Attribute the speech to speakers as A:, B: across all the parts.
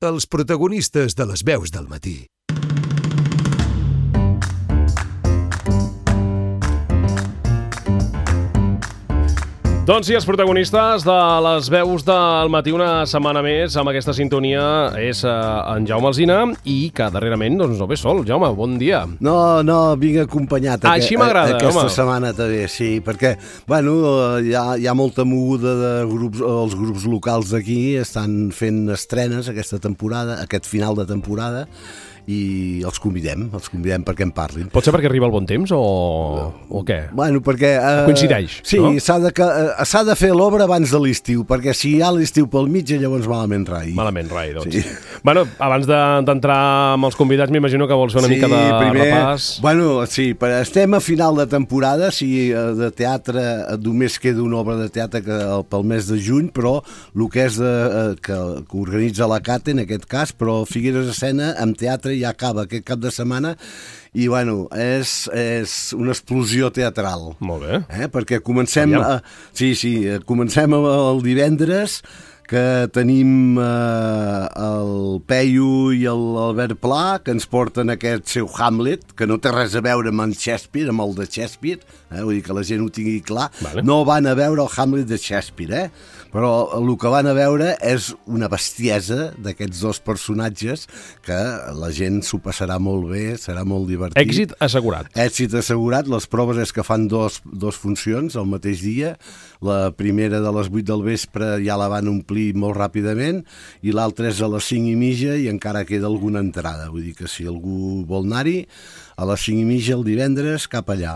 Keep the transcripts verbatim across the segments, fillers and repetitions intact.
A: els protagonistes de les veus del matí.
B: Doncs sí, els protagonistes de les veus del matí una setmana més amb aquesta sintonia és uh, en Jaume Alsina i que darrerament doncs, no ve sol. Jaume, bon dia.
C: No, no, vinc acompanyat
B: ah, Així m'agrada,
C: aquesta
B: home.
C: setmana també, sí, perquè bueno, hi ha, hi ha molta moguda de grups, els grups locals d'aquí estan fent estrenes aquesta temporada, aquest final de temporada, i els convidem, els convidem perquè en parlin.
B: Pot ser perquè arriba el bon temps o, o què?
C: Bueno, perquè... Uh,
B: Coincideix,
C: sí,
B: no?
C: s'ha de, uh, s'ha de fer l'obra abans de l'estiu, perquè si hi ha l'estiu pel mig, llavors malament rai.
B: Malament rai, doncs.
C: Sí.
B: Bueno, abans d'entrar amb els convidats, m'imagino que vols fer una
C: sí,
B: mica de
C: primer, repàs. Bueno, sí, però estem a final de temporada, si de teatre només queda una obra de teatre que, pel mes de juny, però el que és de, que, que organitza la Cate, en aquest cas, però Figueres Escena, amb teatre ja acaba aquest cap de setmana i bueno, és, és una explosió teatral.
B: Molt bé.
C: Eh? Perquè comencem a, sí, sí, comencem el divendres que tenim eh, el Peyu i l'Albert Pla que ens porten aquest seu Hamlet que no té res a veure amb en Shakespeare, amb el de Shakespeare, eh? Vull dir que la gent ho tingui clar. Vale. No van a veure el Hamlet de Shakespeare, eh? Però el que van a veure és una bestiesa d'aquests dos personatges que la gent s'ho passarà molt bé, serà molt divertit.
B: Èxit assegurat.
C: Èxit assegurat. Les proves és que fan dos, dos funcions el mateix dia. La primera de les vuit del vespre ja la van omplir molt ràpidament i l'altra és a les cinc i mitja i encara queda alguna entrada. Vull dir que si algú vol anar-hi, a les cinc i mitja el divendres cap allà.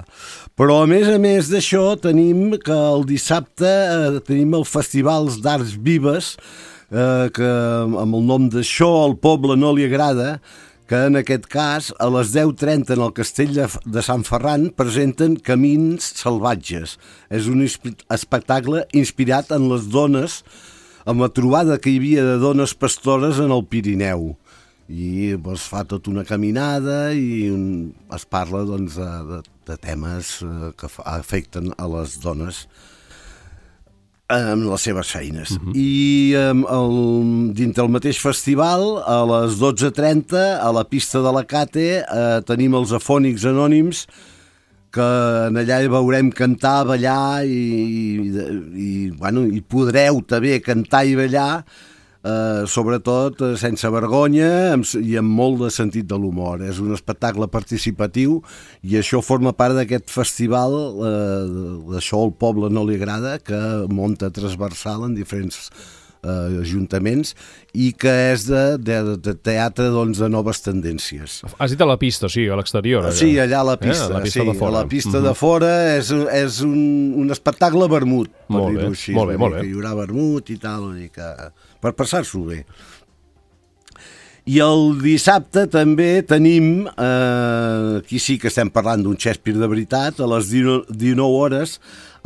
C: Però a més a més d'això tenim que el dissabte eh, tenim el Festivals d'Arts Vives eh, que amb el nom d'Això al poble no li agrada, que en aquest cas a les deu trenta en el castell de, de Sant Ferran presenten Camins salvatges. És un espectacle inspirat en les dones, amb la trobada que hi havia de dones pastores en el Pirineu. I es fa tota una caminada i un, es parla doncs, de, de, de temes que afecten a les dones en les seves feines. Uh-huh. I el, dintre el mateix festival, a les dotze trenta, a la pista de la Cate, eh, tenim els Afònics Anònims, que allà hi veurem cantar, ballar i, i, i, bueno, i podreu també cantar i ballar, Uh, sobretot uh, sense vergonya amb, i amb molt de sentit de l'humor. És un espectacle participatiu i això forma part d'aquest festival uh, d'Això al poble no li agrada, que munta transversal en diferents uh, ajuntaments i que és de, de, de teatre doncs, de noves tendències.
B: Has dit a la pista, sí, a l'exterior.
C: Allà. Sí, allà a la pista, eh? a la pista sí, de fora. A la pista uh-huh. de fora és, és un, un espectacle vermut, per dir-ho així.
B: Molt bé, molt bé.
C: Que hi haurà vermut i tal, i que... per passar-s'ho bé. I el dissabte també tenim, eh, aquí sí que estem parlant d'un Shakespeare de veritat, a les dinou hores,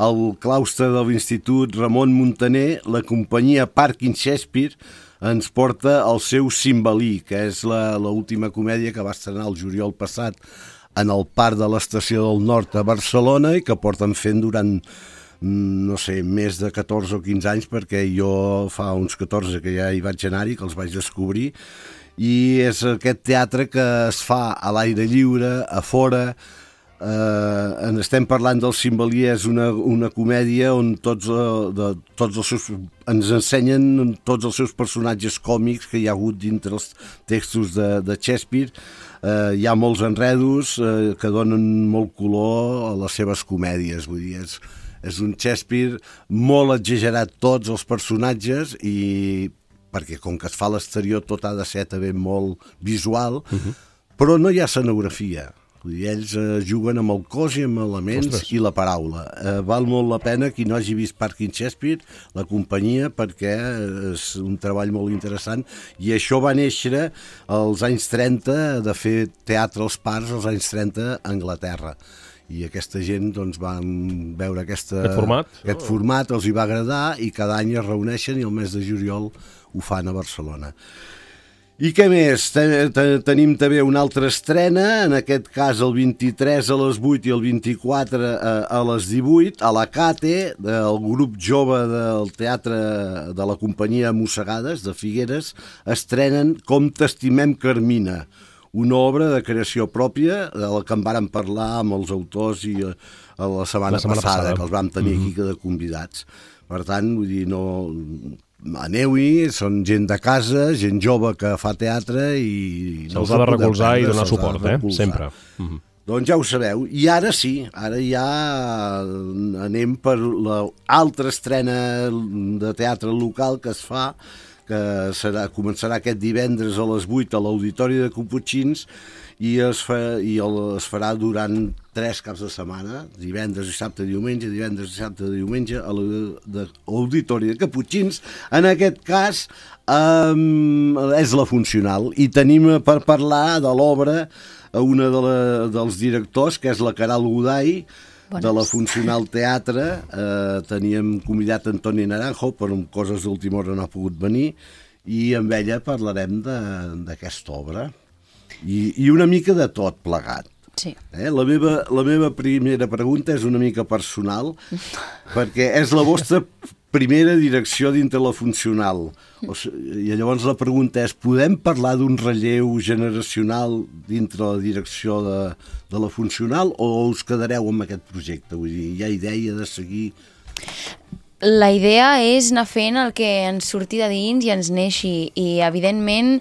C: al claustre de l'Institut Ramon Muntaner, la companyia Parking Shakespeare ens porta el seu Cimbalí, que és l'última comèdia que va estrenar el juliol passat en el Parc de l'Estació del Nord a Barcelona i que porten fent durant no sé, més de catorze o quinze anys, perquè jo fa uns catorze que ja hi vaig anar-hi, que els vaig descobrir, i és aquest teatre que es fa a l'aire lliure, a fora. Eh, en estem parlant del Cimbalí, és una, una comèdia on tots, eh, de, tots els seus, ens ensenyen tots els seus personatges còmics que hi ha hagut dintre els textos de, de Shakespeare. Eh, hi ha molts enredos eh, que donen molt color a les seves comèdies, vull dir, és És un Shakespeare molt exagerat tots els personatges i perquè com que es fa a l'exterior tot ha de ser també molt visual, uh-huh. però no hi ha escenografia. Vull dir, ells eh, juguen amb el cos i amb elements Ostres. I la paraula. Eh, val molt la pena qui no hagi vist Parking Shakespeare, la companyia, perquè és un treball molt interessant i això va néixer als anys trenta, de fer teatre als parcs als anys trenta a Anglaterra. I aquesta gent doncs, van veure aquesta,
B: aquest, format?
C: aquest oh. format, els hi va agradar i cada any es reuneixen i el mes de juliol ho fan a Barcelona. I què més? Tenim també una altra estrena, en aquest cas el vint-i-tres a les vuit i el vint-i-quatre a les divuit, a la Cate, del grup jove del teatre de la companyia Mossegades, de Figueres, estrenen Com t'estimem, Carmina, una obra de creació pròpia de la que en vàrem parlar amb els autors i la setmana, la setmana passada, passada, que els vam tenir mm-hmm. aquí de convidats. Per tant, vull dir, no... aneu-hi, són gent de casa, gent jove que fa teatre i...
B: Se'ls ha de recolzar i donar suport, eh? Sempre. Mm-hmm.
C: Doncs ja ho sabeu. I ara sí, ara ja anem per l'altra estrena de teatre local que es fa, que serà, començarà aquest divendres a les vuit a l'Auditori de Caputxins i es, fa, i el, es farà durant tres caps de setmana, divendres, dissabte, diumenge, divendres, dissabte, diumenge, a l'Auditori de Caputxins. En aquest cas um, és la Funcional i tenim per parlar de l'obra una de la, dels directors, que és la Caral Goday, Bones. De la Funcional Teatre. Eh, teníem convidat Antoni Naranjo, però amb coses d'última hora no ha pogut venir, i amb ella parlarem d'aquesta obra. I, i una mica de tot plegat.
D: Sí.
C: Eh? La, meva, la meva primera pregunta és una mica personal, perquè és la vostra primera direcció dintre la Funcional. O sigui, i llavors la pregunta és, podem parlar d'un relleu generacional dintre la direcció de, de la Funcional o us quedareu amb aquest projecte? Vull dir, hi ha idea de seguir...
D: La idea és anar fent el que ens surti de dins i ens neixi, i evidentment...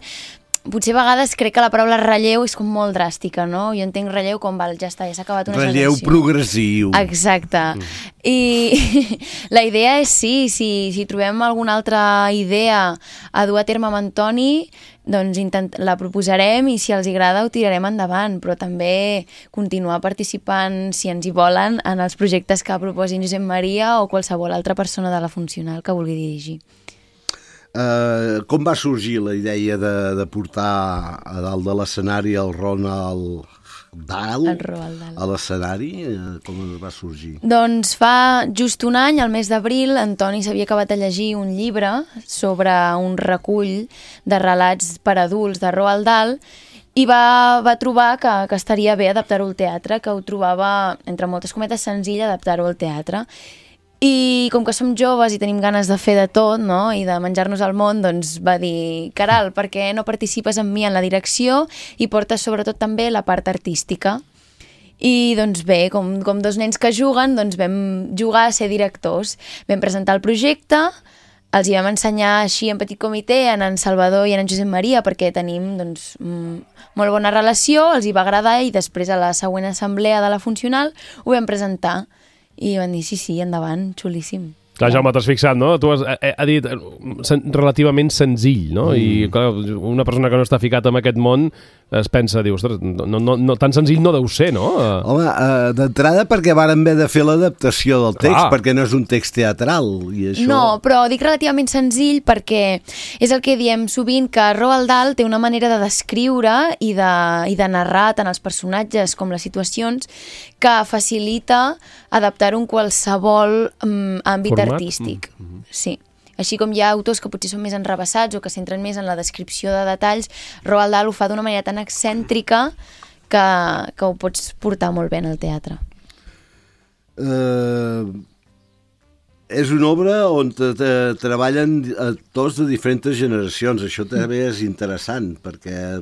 D: Potser a vegades crec que la paraula relleu és com molt dràstica, no? Jo entenc relleu com, val, ja està, ja s'ha acabat una
C: relleu
D: generació.
C: Relleu progressiu.
D: Exacte. Mm. I la idea és sí, si, si trobem alguna altra idea a dur a terme amb Antoni, doncs intent, la proposarem i si els agrada ho tirarem endavant, però també continuar participant, si ens hi volen, en els projectes que proposin Josep Maria o qualsevol altra persona de la Funcional que vulgui dirigir.
C: Uh, com va sorgir la idea de, de portar a dalt de l'escenari el Ronald Dahl a l'escenari? Uh, com va sorgir?
D: Doncs fa just un any, al mes d'abril, Antoni s'havia acabat de llegir un llibre sobre un recull de relats per adults de Roald Dahl i va, va trobar que, que estaria bé adaptar-ho al teatre, que ho trobava, entre moltes cometes, senzill adaptar-ho al teatre. I com que som joves i tenim ganes de fer de tot, no?, i de menjar-nos al món, doncs va dir, Caral, per què no participes amb mi en la direcció i portes sobretot també la part artística? I doncs bé, com, com dos nens que juguen, doncs vam jugar a ser directors. Vam presentar el projecte, els hi vam ensenyar així en petit comitè a en Salvador i a en Josep Maria, perquè tenim doncs, molt bona relació, els hi va agradar i després a la següent assemblea de la Funcional ho vam presentar. I van dir, sí, sí, endavant, xulíssim.
B: Clar, Jaume, t'has fixat, no? Tu has ha, ha dit sen, relativament senzill, no? Mm. I clar, una persona que no està ficat en aquest món es pensa, diu, ostres, no, no, no, tan senzill no deu ser, no?
C: Home, uh, d'entrada perquè vàrem haver de fer l'adaptació del text, clar, perquè no és un text teatral. I això...
D: No, però dic relativament senzill perquè és el que diem sovint, que Roald Dahl té una manera de descriure i de, i de narrar tant els personatges com les situacions que facilita adaptar un qualsevol um, àmbit Format? artístic. Mm-hmm. Sí. Així com hi ha autors que potser són més enrevessats o que centren més en la descripció de detalls, Roald Dahl ho fa d'una manera tan excèntrica que, que ho pots portar molt bé en el teatre.
C: Uh, és una obra on te, te, treballen actors de diferents generacions. Això també és interessant, perquè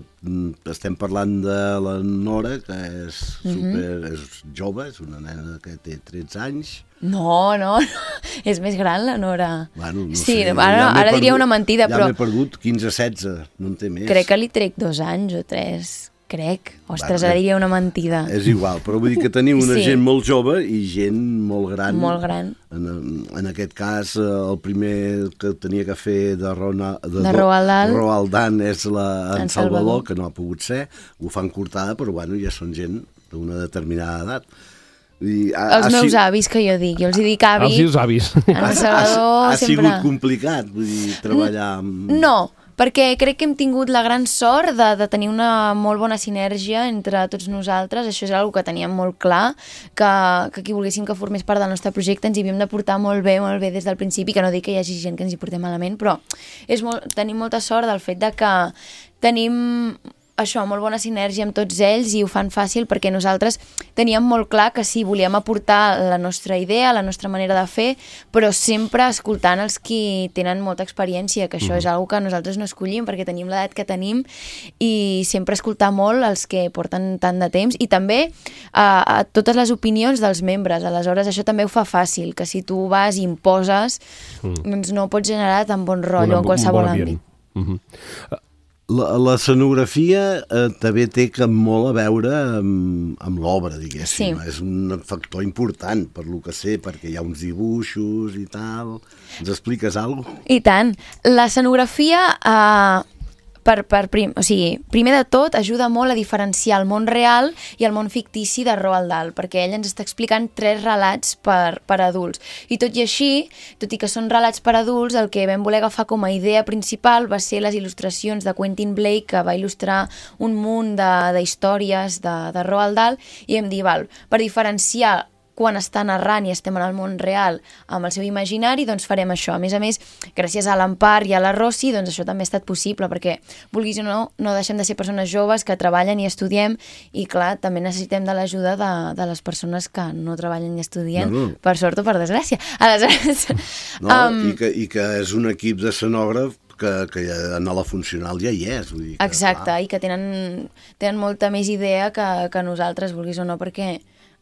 C: estem parlant de la Nora, que és, super, mm-hmm. és jove, és una nena que té tretze anys.
D: No, no, no, és més gran la Nora.
C: Bueno, no
D: sí,
C: sé,
D: ara,
C: ja
D: ara diria
C: perdut,
D: una mentida,
C: ja
D: però...
C: Ja m'he perdut quinze setze, no en té més.
D: Crec que li trec dos anys o tres, crec. Ostres, bueno, ara diria una mentida.
C: És igual, però vull dir que tenim una sí. gent molt jove i gent molt gran.
D: Molt gran.
C: En, en aquest cas, el primer que tenia que fer de, Rona, de,
D: de Roald Dahl,
C: Roald Dahl és la, en, en Salvador, Salvador, que no ha pogut ser. Ho fan cortada, però bueno, ja són gent d'una determinada edat. I ha,
D: els
C: ha
D: meus
C: sigut...
D: avis, que jo dic, jo els hi dic avi.
B: Els seus avis.
D: En el Salvador
C: ha, ha, ha
D: sempre...
C: sigut complicat, vull dir, treballar amb...
D: No, perquè crec que hem tingut la gran sort de, de tenir una molt bona sinergia entre tots nosaltres. Això és una que teníem molt clar, que, que qui volguéssim que formés part del nostre projecte ens hi havíem de portar molt bé, molt bé des del principi, que no dic que hi hagi gent que ens hi portem malament, però és molt, tenim molta sort del fet de que tenim això, molt bona sinergia amb tots ells i ho fan fàcil perquè nosaltres teníem molt clar que sí, volíem aportar la nostra idea, la nostra manera de fer, però sempre escoltant els qui tenen molta experiència, que això mm. és una que nosaltres no escollim perquè tenim l'edat que tenim i sempre escoltar molt els que porten tant de temps i també a, a totes les opinions dels membres. Aleshores, això també ho fa fàcil, que si tu vas i imposes, mm. doncs no pots generar tan bon rotllo en qualsevol bon àmbit.
C: Mm-hmm. La, la escenografia eh, també té que molt a veure amb, amb l'obra, diguéssim. Sí. És un factor important, per lo que sé, perquè hi ha uns dibuixos i tal. Ens expliques alguna cosa?
D: I tant. L'escenografia, eh, per, per prim, o sigui, primer de tot, ajuda molt a diferenciar el món real i el món fictici de Roald Dahl, perquè ell ens està explicant tres relats per, per adults. I tot i així, tot i que són relats per adults, el que vam voler agafar com a idea principal va ser les il·lustracions de Quentin Blake, que va il·lustrar un munt d'històries de, de, de Roald Dahl, i vam dir, val, per diferenciar quan està narrant i estem en el món real amb el seu imaginari, doncs farem això. A més a més, gràcies a l'Empar i a la Rossi, doncs això també ha estat possible, perquè, vulguis o no, no deixem de ser persones joves que treballen i estudiem, i clar, també necessitem de l'ajuda de, de les persones que no treballen i estudien, no, no. per sort o per desgràcia. Aleshores...
C: No, um... i, que, i que és un equip d'escenògraf que, que en la funcional ja hi és. Vull dir que,
D: exacte,
C: clar.
D: I que tenen, tenen molta més idea que, que nosaltres, vulguis o no, perquè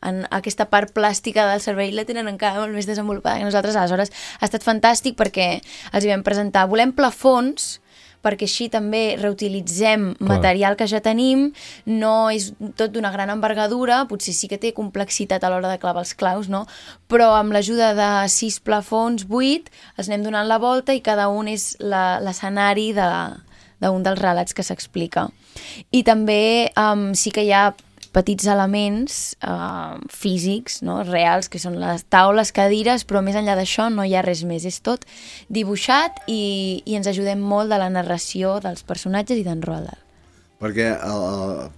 D: en aquesta part plàstica del cervell la tenen encara molt més desenvolupada que nosaltres. Aleshores ha estat fantàstic perquè els hi vam presentar, volem plafons perquè així també reutilitzem Clar. material que ja tenim, no és tot d'una gran envergadura, potser sí que té complexitat a l'hora de clavar els claus, no? Però amb l'ajuda de sis plafons, vuit, els anem donant la volta i cada un és l'escenari de, d'un dels relats que s'explica. I també um, sí que hi ha petits elements uh, físics, no? reals, que són les taules, cadires, però més enllà d'això no hi ha res més. És tot dibuixat i, i ens ajudem molt de la narració dels personatges i d'en Roald Dahl.
C: Perquè uh,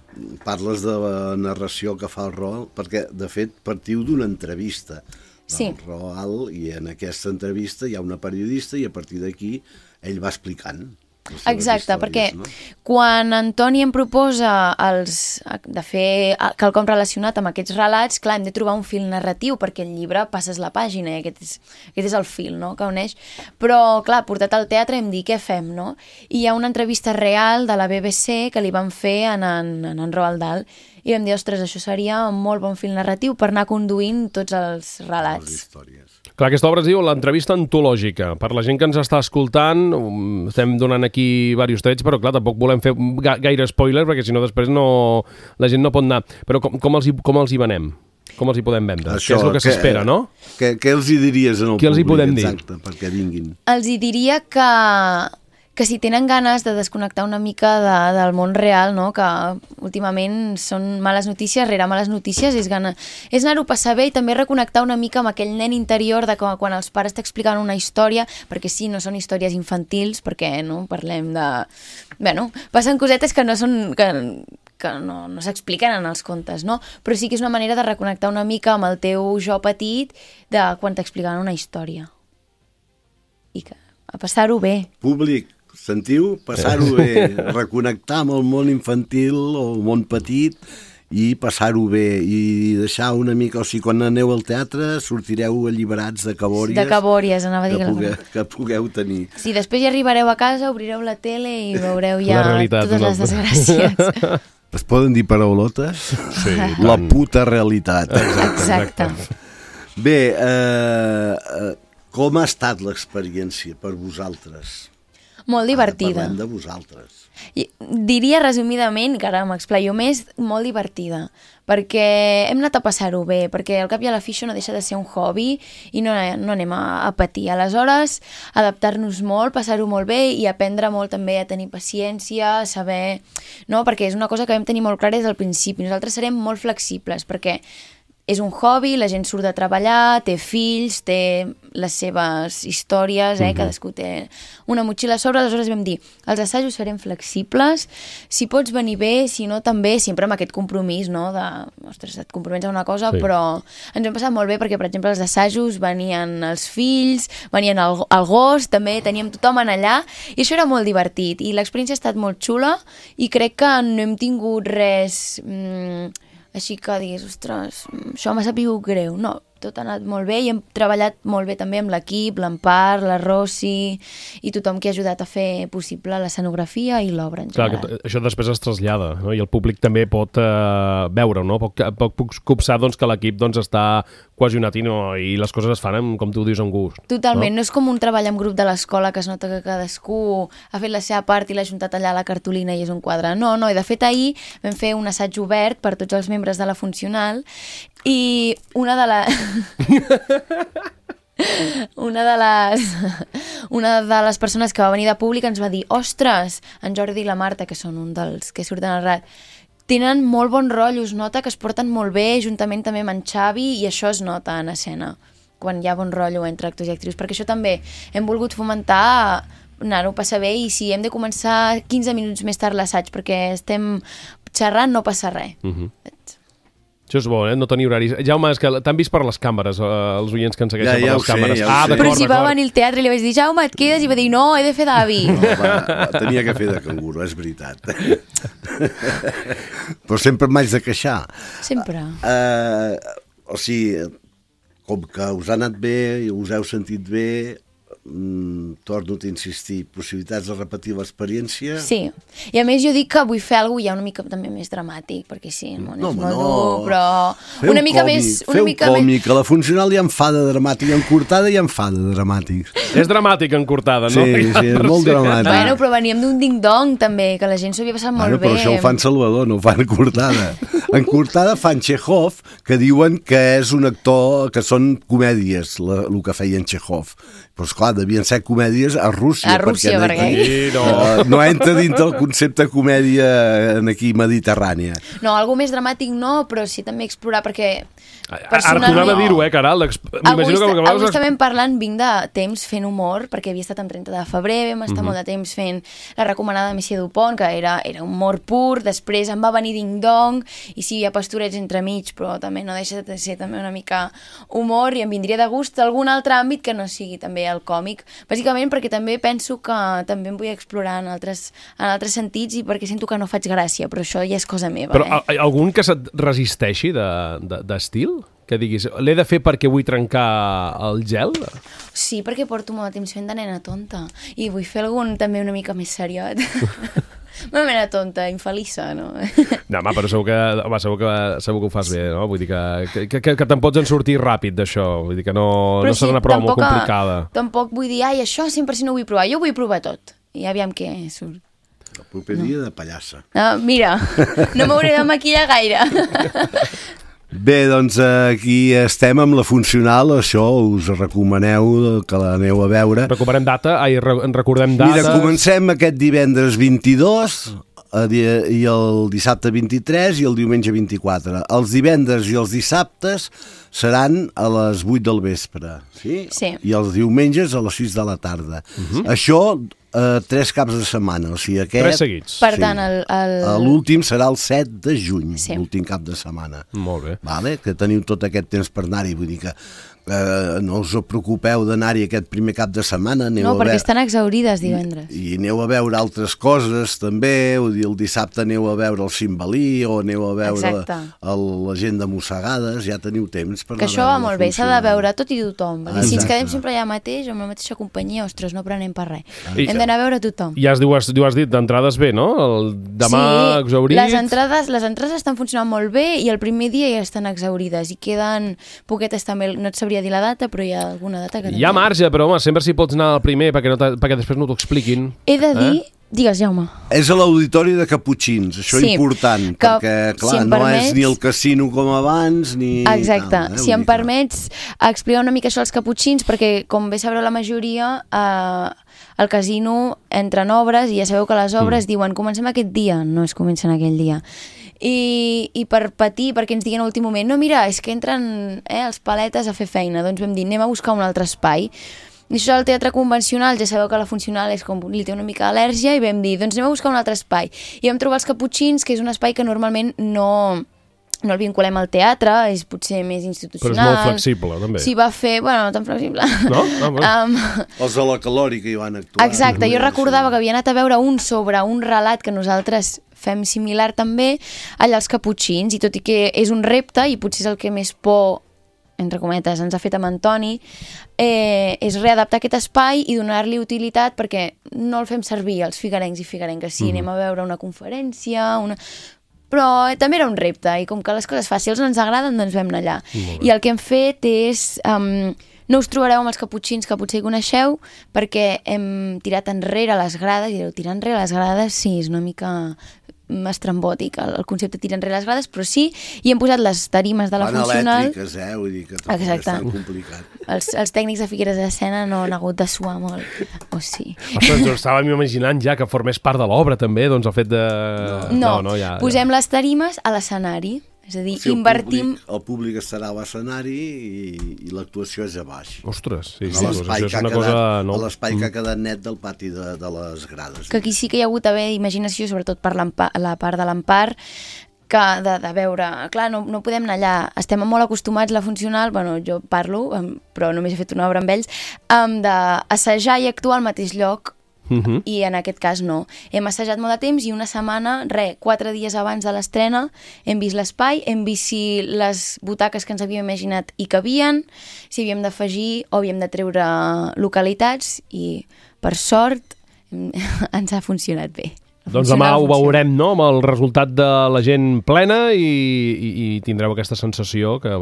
C: parles de la narració que fa el Roald, perquè de fet partiu d'una entrevista del
D: sí.
C: Roald, i en aquesta entrevista hi ha una periodista i a partir d'aquí ell va explicant.
D: Exacte, perquè no? quan Antoni em proposa els, de fer quelcom relacionat amb aquests relats, clar, hem de trobar un fil narratiu, perquè el llibre passes la pàgina i aquest és, aquest és el fil, no?, que uneix. Però, clar, portat al teatre hem dit, què fem, no? I hi ha una entrevista real de la B B C que li van fer en en, en, en Roald Dahl, i vam dir, ostres, això seria un molt bon fil narratiu per anar conduint tots els relats.
C: Les històries.
B: Clar, aquesta obra es diu l'entrevista antològica. Per la gent que ens està escoltant, estem donant aquí diversos trets, però clar, tampoc volem fer gaire spoiler, perquè si no després no, la gent no pot anar. Però com, com, els, hi, com els hi venem? Com els hi podem vendre? Això, què és el que, que s'espera, no?
C: Què, què els hi diries en el
B: què
C: públic?
B: Els hi podem dir?
C: Exacte, perquè vinguin.
D: Els hi diria que... que si tenen ganes de desconnectar una mica de, del món real, no? Que últimament són males notícies rere males notícies, és, gana, és anar-ho a passar bé i també reconnectar una mica amb aquell nen interior de com, quan els pares t'expliquen una història, perquè sí, no són històries infantils, perquè no parlem de... Bueno, passen cosetes que no són... Que, que no, no s'expliquen en els contes, no? Però sí que és una manera de reconnectar una mica amb el teu jo petit de quan t'expliquen una història. I que a passar-ho bé.
C: Públic, sentiu? Passar-ho bé, reconnectar amb el món infantil o el món petit i passar-ho bé i deixar una mica, o sigui, quan aneu al teatre sortireu alliberats de cabòries,
D: de cabòries, anava a dir
C: que, pugueu, que pugueu tenir.
D: Sí, després ja arribareu a casa, obrireu la tele i veureu ja
B: realitat,
D: totes
B: no?
D: les desgràcies.
C: Es poden dir paraulotes?
B: Sí,
C: la puta realitat.
D: Exacte.
C: Bé, eh, eh, com ha estat l'experiència per vosaltres?
D: Molt divertida.
C: Ara parlem de vosaltres.
D: I diria resumidament, que ara m'explaio més, molt divertida, perquè hem anat a passar-ho bé, perquè al cap i a la fi això no deixa de ser un hobby i no, no anem a, a patir. Aleshores, adaptar-nos molt, passar-ho molt bé i aprendre molt també a tenir paciència, a saber... No? Perquè és una cosa que vam tenir molt clara des del principi. Nosaltres serem molt flexibles, perquè és un hobby, la gent surt de treballar, té fills, té les seves històries, eh? Uh-huh. Cadascú té una motxilla a sobre, aleshores vam dir, els assajos serem flexibles, si pots venir bé, si no també, sempre amb aquest compromís, no?, de, ostres, et comprometes a una cosa, sí. Però ens hem passat molt bé perquè, per exemple, els assajos venien els fills, venien el, el gos, també teníem tothom en allà, i això era molt divertit, i l'experiència ha estat molt xula, i crec que no hem tingut res mmm, així que diguis, ostres, això m'ha sabut greu, no, tot ha anat molt bé i hem treballat molt bé també amb l'equip, l'Empar, la Rossi i tothom que ha ajudat a fer possible l'escenografia i l'obra en general.
B: Clar, que això després es trasllada, no? I el públic també pot eh, veure-ho, no? Pot, pot, pot copsar doncs, que l'equip doncs, està cohesionat i, no, i les coses es fan, amb, com tu dius, amb gust.
D: Totalment, no?
B: no
D: és com un treball en grup de l'escola que es nota que cadascú ha fet la seva part i l'ha juntat allà a la cartolina i és un quadre. No, no, i de fet ahir vam fer un assaig obert per tots els membres de la funcional i una de les... una de les una de les persones que va venir de públic ens va dir, ostres, en Jordi i la Marta, que són un dels que surten al R A D, tenen molt bon rotllo, es nota que es porten molt bé, juntament també amb en Xavi, i això es nota en escena, quan hi ha bon rotllo entre actors i actrius, perquè això també hem volgut fomentar, anar-ho a passar bé, i si hem de començar quinze minuts més tard l'assaig perquè estem xerrant, no passa res.
B: Uh-huh. Això és bo, eh? No tenir horaris. Jaume, és que t'han vist per les càmeres, eh, els oients que ens segueixen
C: ja, ja
B: per les
C: sé,
B: càmeres.
C: Ja
B: ah,
D: Però si va venir al teatre i li vaig dir, Jaume, et quedes? I va dir, no, he de fer d'avi.
C: No, va, va, tenia que fer de canguro, és veritat. Però sempre m'haig de queixar.
D: Sempre.
C: Uh, o sigui, com que us ha anat bé, us heu sentit bé, mm, torno a insistir, possibilitats de repetir l'experiència?
D: Sí, i a més jo dic que vull fer alguna cosa ja una mica també més dramàtic, perquè sí, el món
C: no,
D: és molt
C: no.
D: dur, però
C: Feu
D: una mica
C: còmic,
D: més... Una
C: feu
D: mica
C: còmic,
D: més...
C: a la funcional hi ha en fa de dramàtic, en cortada hi ha en fa de dramàtic.
B: És dramàtic en cortada, no?
C: Sí, sí, és molt dramàtic.
D: Bueno, però veníem d'un ding-dong també, que la gent s'ho havia passat
C: Bueno,
D: molt bé.
C: però això ho fan Salvador, no ho fan en cortada. En cortada fan Chekhov, que diuen que és un actor, que són comèdies, la, el que feia en Chekhov. Però, esclar, devien ser comèdies a Rússia.
D: A Rússia, perquè...
C: perquè
B: Sí, no.
C: uh, no entra dintre el concepte comèdia en aquí mediterrània.
D: No, algo més dramàtic no, però sí també explorar, perquè...
B: Ara tornava a dir-ho, eh, Caral?
D: Avui, que avui, avui estàvem parlant, vinc de temps fent humor, perquè havia estat amb trenta de febrer, vam estar uh-huh. molt de temps fent la recomanada de Messia Dupont, que era, era humor pur, després em va venir Ding Dong, i sí, hi ha pastorets entremig, però també no deixa de ser també una mica humor, i em vindria de gust algun altre àmbit que no sigui també el còmic, bàsicament perquè també penso que també em vull explorar en altres, en altres sentits, i perquè sento que no faig gràcia, però això ja és cosa meva.
B: Però
D: eh?
B: algun que se't resisteixi d'estil? Que diguis, l'he de fer perquè vull trencar el gel?
D: Sí, perquè porto molt de temps fent de nena tonta, i vull fer algun també una mica més seriot. Una mena tonta, infeliça, no?
B: No, home, però segur que, home, segur que, segur que ho fas bé, no? Vull dir que, que, que, que te'n pots en sortir ràpid d'això, vull dir que no, no serà una prova molt complicada.
D: Tampoc vull dir, ai, això cent per cent no ho vull provar, jo ho vull provar tot, i aviam què surt.
C: El proper dia no. de pallassa.
D: No, mira, no m'hauré de maquillar gaire.
C: Bé, doncs aquí estem amb la funcional, això us recomaneu que l'aneu a veure.
B: Recuperem data, ai, en recordem data.
C: Mira, comencem aquest divendres vint-i-dos i el dissabte vint-i-tres i el diumenge vint-i-quatre. Els divendres i els dissabtes seran a les vuit del vespre, sí?
D: Sí.
C: I els diumenges a les sis de la tarda. Uh-huh. Això... Uh, tres caps de setmana, o sigui, aquest...
B: Tres seguits.
D: Per tant, el... el...
C: l'últim serà el set de juny,
D: sí.
C: l'últim cap de setmana.
B: Molt bé.
C: Vale? Que teniu tot aquest temps per anar-hi, vull dir que uh, no us preocupeu d'anar-hi aquest primer cap de setmana. Aneu
D: no,
C: a
D: perquè
C: veure...
D: estan exaurides divendres.
C: I, I aneu a veure altres coses, també, vull dir, el dissabte aneu a veure el Cimbalí o aneu a veure la, el, la gent de Mossegades, ja teniu temps per anar a veure.
D: Que això va molt bé, s'ha de veure tot i tothom.
C: Exacte.
D: Si ens quedem sempre allà mateix, amb la mateixa companyia, ostres, no prenem per res.
B: I...
D: Hem d'anar a veure tothom.
B: Ja has, has, has dit, d'entrades bé, no? El demà
D: sí,
B: exaurit...
D: les entrades, les entrades estan funcionant molt bé i el primer dia ja estan exaurides i queden poquetes també, no et sabria dir la data, però hi ha alguna data que...
B: Hi ha marge, però home, sempre si pots anar al primer perquè, no perquè després no t'ho expliquin.
D: He de dir... Eh? Digues, Jaume.
C: És a l'auditori de Caputxins, això és
D: sí,
C: important,
D: que,
C: perquè, clar,
D: si
C: no
D: permets...
C: és ni el casino com abans, ni...
D: Exacte.
C: Tal, eh?
D: Si em permets explicar una mica això als Caputxins, perquè, com bé sabreu la majoria, eh, el casino entra en obres i ja sabeu que les obres mm. diuen comencem aquest dia, no es comencen aquell dia. I, i per patir, perquè ens diguen a l'últim moment, no, mira, és que entren eh, els paletes a fer feina, doncs vam dir, anem a buscar un altre espai. I això al teatre convencional, ja sabeu que la funcional és com li té una mica d'al·lèrgia, i vam dir, doncs anem a buscar un altre espai. I vam trobar els Caputxins, que és un espai que normalment no... no el vinculem al teatre, és potser més institucional.
B: Però és molt flexible, també.
D: S'hi va fer, bueno, no tan flexible.
B: No? No,
D: um,
C: Els de la Calòrica hi van actuar.
D: exacte, jo recordava que havia anat a veure un sobre un relat que nosaltres fem similar també, allà als Caputxins, i tot i que és un repte, i potser és el que més por, entre cometes, ens ha fet amb Antoni, eh, és readaptar aquest espai i donar-li utilitat, perquè no el fem servir els figuerencs i figuerenques. Sí, mm. anem a veure una conferència, una... però també era un repte, i com que les coses fàcils ens agraden, doncs vam anar allà. I el que hem fet és... Um, no us trobareu amb els Caputxins, que potser hi coneixeu, perquè hem tirat enrere les grades, i direu, tirar enrere les grades, sí, és una mica estrambòtic el, el concepte de tirar enrere les grades, però sí, i hem posat les tarimes de la
C: Van
D: funcional...
C: elèctriques, eh? Vull dir que tampoc és tan complicat.
D: Els, els tècnics de Figueres de Sena no han hagut de suar molt, o sí.
B: Ostres, jo estàvem imaginant ja que formés part de l'obra, també, doncs el fet de...
D: No, no, no ja, posem ja. les tarimes a l'escenari. És a dir,
C: sí,
D: invertim...
C: El públic, el públic estarà a l'escenari i, i l'actuació és a baix.
B: Ostres, sí,
C: sí.
B: sí, doncs això és una
C: quedat,
B: cosa... No?
C: A l'espai que ha quedat net del pati de, de les grades.
D: Que aquí sí que hi ha hagut d'haver imaginació, sobretot per la part de l'Empar, que de, de veure... Clar, no, no podem anar allà. Estem molt acostumats, la funcional, bueno, jo parlo, però només he fet una obra amb ells, d'assajar i actuar al mateix lloc. Uh-huh. I en aquest cas no. Hem assajat molt de temps i una setmana, re, quatre dies abans de l'estrena, hem vist l'espai, hem vist si les butaques que ens havíem imaginat hi cabien, si havíem d'afegir o havíem de treure localitats, i per sort ens ha funcionat bé.
B: Doncs demà ho veurem, no?, amb el resultat de la gent plena, i, i, i tindreu aquesta sensació que,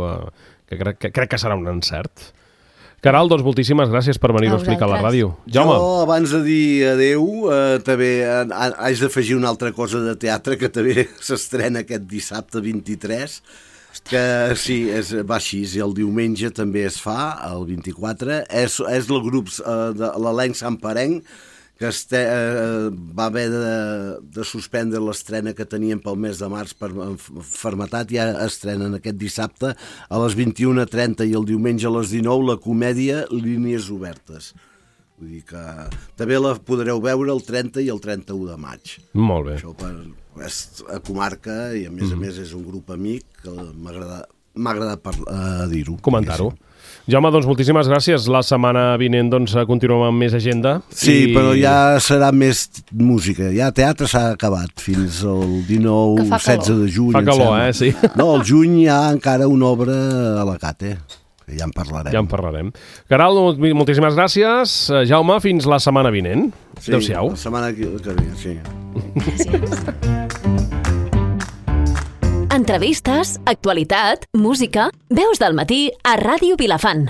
B: que, crec, que crec que serà un encert. Caral, doncs moltíssimes gràcies per venir a explicar a la ràdio. Jaume.
C: Jo, abans de dir adeu, eh, també haig d'afegir una altra cosa de teatre que també s'estrena aquest dissabte vint-i-tres, que sí, és, va així, i el diumenge també es fa, el vint-i-quatre. És, és el grup, eh, de l'elenc santparenc, que este, eh, va haver de, de suspendre l'estrena que tenien pel mes de març per malaltia, i ja estrenen aquest dissabte a les vint-i-una trenta i el diumenge a les dinou la comèdia Línies Obertes. Vull dir que també la podreu veure el trenta i el trenta-u de maig.
B: Molt bé.
C: Això per, és a comarca, i a més mm. a més és un grup amic que m'ha agradat, m'ha agradat per, uh, dir-ho.
B: Comentar-ho. Jaume, doncs moltíssimes gràcies. La setmana vinent doncs, continuem amb més agenda.
C: Sí, i... però ja serà més música. Ja teatre s'ha acabat fins al dinou setze de juny.
B: Fa calor, eh? Sí.
C: No, al juny hi ha encara una obra a la Cate, que ja en parlarem.
B: Ja en parlarem. Caral, moltíssimes gràcies. Jaume, fins la setmana vinent.
C: Sí,
B: adéu-siau.
C: La setmana que ve, sí.
D: Gràcies.
E: Entrevistes, actualitat, música, Veus del Matí a Ràdio Vilafant.